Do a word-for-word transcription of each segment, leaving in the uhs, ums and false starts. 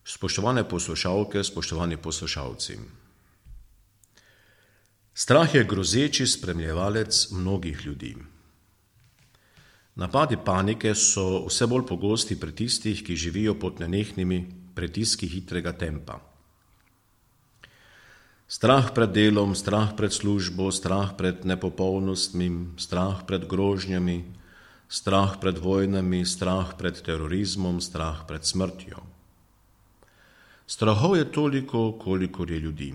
Spoštovane poslušalke, spoštovani poslušalci. Strah je grozeči spremljevalec mnogih ljudi. Napadi panike so vse bolj pogosti pri tistih, ki živijo pod nenehnimi pritiski hitrega tempa. Strah pred delom, strah pred službo, strah pred nepopolnostmi, strah pred grožnjami, strah pred vojnami, strah pred terorizmom, strah pred smrtjo. Strahov je toliko, kolikor je ljudi.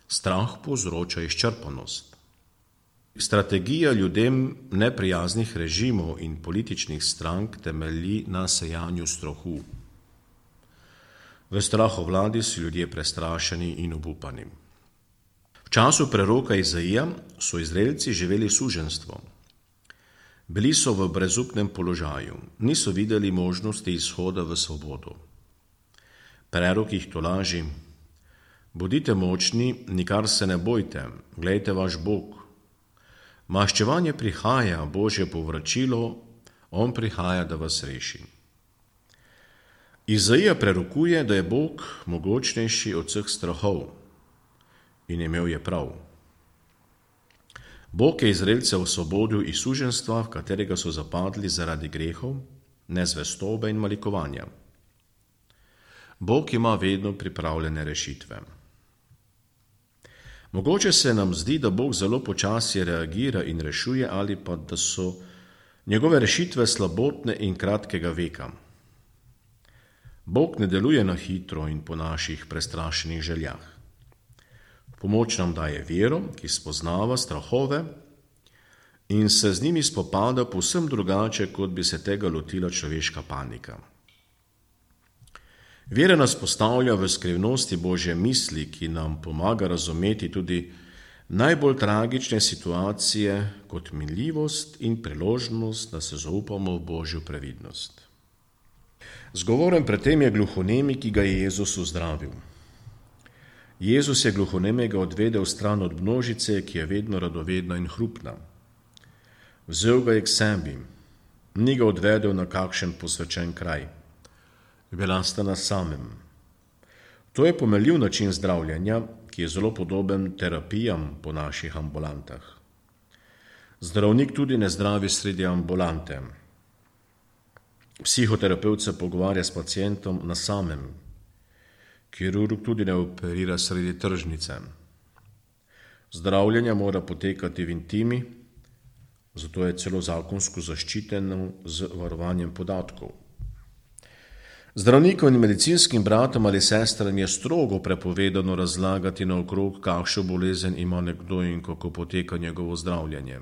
Strah povzroča izčrpanost. Strategija ljudem neprijaznih režimov in političnih strank temelji na sejanju strahu. V strahovladi so ljudje prestrašeni in obupani. V času preroka Izaija so Izraelci živeli suženjstvo. Bili so v brezupnem položaju, niso videli možnosti izhoda v svobodo. Prerok jih tolaži: bodite močni, nikar se ne bojte, glejte vaš Bog. Maščevanje prihaja, Božje povračilo, on prihaja, da vas reši. Izaija prerokuje, da je Bog mogočnejši od vseh strahov, in imel je prav. Bog je Izraelce osvobodil iz suženjstva, v katerega so zapadli zaradi grehov, nezvestobe in malikovanja. Bog ima vedno pripravljene rešitve. Mogoče se nam zdi, da Bog zelo počasi reagira in rešuje, ali pa da so njegove rešitve slabotne in kratkega veka. Bog ne deluje na hitro in po naših prestrašenih željah. V pomoč nam daje vero, ki spoznava strahove in se z njimi spopada povsem drugače, kot bi se tega lotila človeška panika. Vera nas postavlja v skrivnosti Božje misli, ki nam pomaga razumeti tudi najbolj tragične situacije kot minljivost in priložnost, da se zaupamo v Božjo previdnost. Zgovoren pred tem je gluhonemi, ki ga je Jezus uzdravil. Jezus je gluhonemega odvedel stran od množice, ki je vedno radovedna in hrupna. Vzel ga je k sebi, ni ga odvedel na kakšen posvečen kraj. Bila sta na samem. To je pomenljiv način zdravljenja, ki je zelo podoben terapijam po naših ambulantah. Zdravnik tudi ne zdravi sredi ambulante. Psihoterapevt se pogovarja s pacientom na samem. Kirurg tudi ne operira sredi tržnice. Zdravljenje mora potekati v intimi, zato je celo zakonsko zaščiteno z varovanjem podatkov. Zdravnikom in medicinskim bratom ali sestram je strogo prepovedano razlagati naokrog, kakšno bolezen ima nekdo in kako poteka njegovo zdravljenje.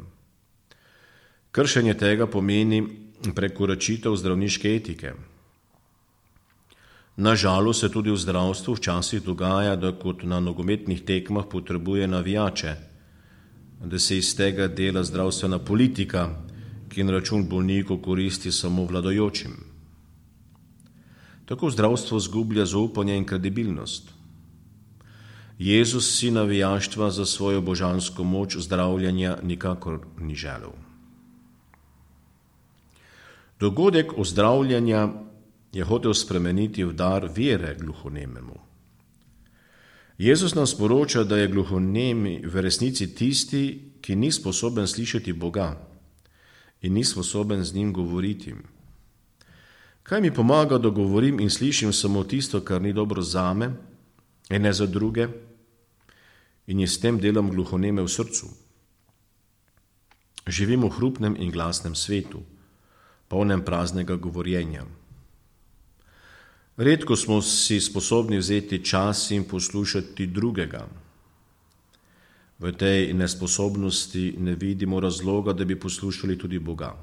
Kršenje tega pomeni prekoračitev zdravniške etike. Nažalost se tudi v zdravstvu včasih dogaja, da kot na nogometnih tekmah potrebuje navijače, da se iz tega dela zdravstvena politika, ki na račun bolnikov koristi samo vladajočim. Tako zdravstvo zgublja zaupanje in kredibilnost. Jezus si navijaštva za svojo božansko moč zdravljenja nikakor ni želel. Dogodek ozdravljenja je hotel spremeniti v dar vere gluhonememu. Jezus nam sporoča, da je gluhonemi v resnici tisti, ki ni sposoben slišati Boga in ni sposoben z njim govoriti. Kaj mi pomaga, da govorim in slišim samo tisto, kar ni dobro zame in ne za druge, in je s tem delom gluhoneme v srcu? Živimo v hrupnem in glasnem svetu, polnem praznega govorjenja. Redko smo si sposobni vzeti čas in poslušati drugega. V tej nesposobnosti ne vidimo razloga, da bi poslušali tudi Boga.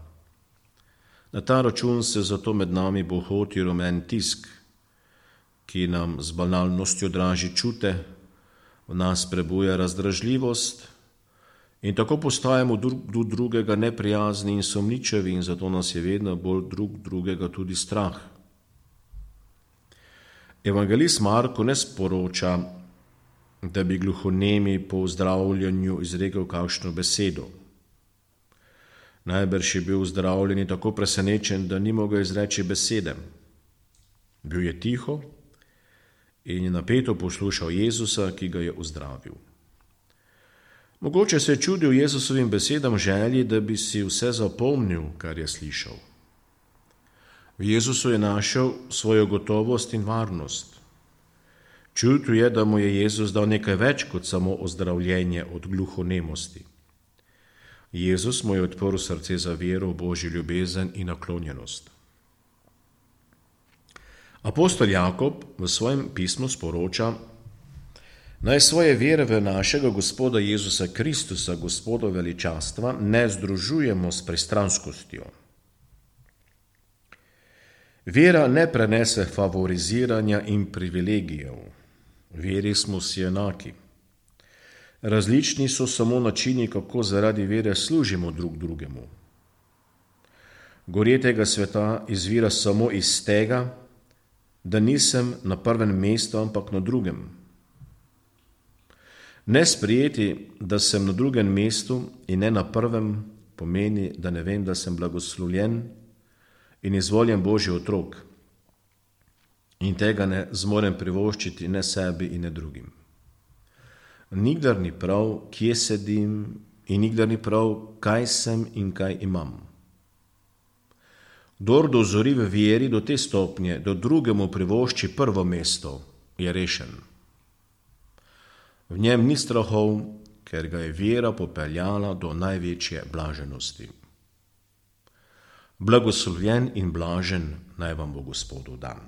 Na ta račun se zato med nami bohoti rumen tisk, ki nam z banalnostjo draži čute, v nas prebuja razdražljivost in tako postajamo do drugega neprijazni in sumničavi in zato nas je vedno bolj drug drugega tudi strah. Evangelist Marko ne sporoča, da bi gluhonemi po zdravljenju izrekel kakšno besedo. Najbrž je bil zdravljeni tako presenečen, da ni mogel izreči besede. Bil je tiho in je napeto poslušal Jezusa, ki ga je uzdravil. Mogoče se je čudil Jezusovim besedam želji, da bi si vse zapomnil, kar je slišal. V Jezusu je našel svojo gotovost in varnost. Čutil je, da mu je Jezus dal nekaj več kot samo ozdravljenje od gluhonemosti. Jezus mu je odprl srce za vero v Božjo ljubezen in naklonjenost. Apostol Jakob v svojem pismu sporoča: naj svoje vere v našega Gospoda Jezusa Kristusa, Gospoda veličastva, ne združujemo s pristranskostjo. Vera ne prenese favoriziranja in privilegijev. Veri smo vsi enaki. Različni so samo načini, kako zaradi vere služimo drug drugemu. Gorje tega sveta izvira samo iz tega, da nisem na prvem mestu, ampak na drugem. Ne sprejeti, da sem na drugem mestu in ne na prvem, pomeni, da ne vem, da sem blagoslovljen in izvoljen Božji otrok in tega ne zmorem privoščiti ne sebi in ne drugim. Nikdar ni prav, kje sedim, in nikdar ni prav, kaj sem in kaj imam. Kdor dozori v veri do te stopnje, da drugemu privošči prvo mesto, je rešen. V njem ni strahov, ker ga je vera popeljala do največje blaženosti. Blagoslovljen in blažen naj vam bo Gospodov dan.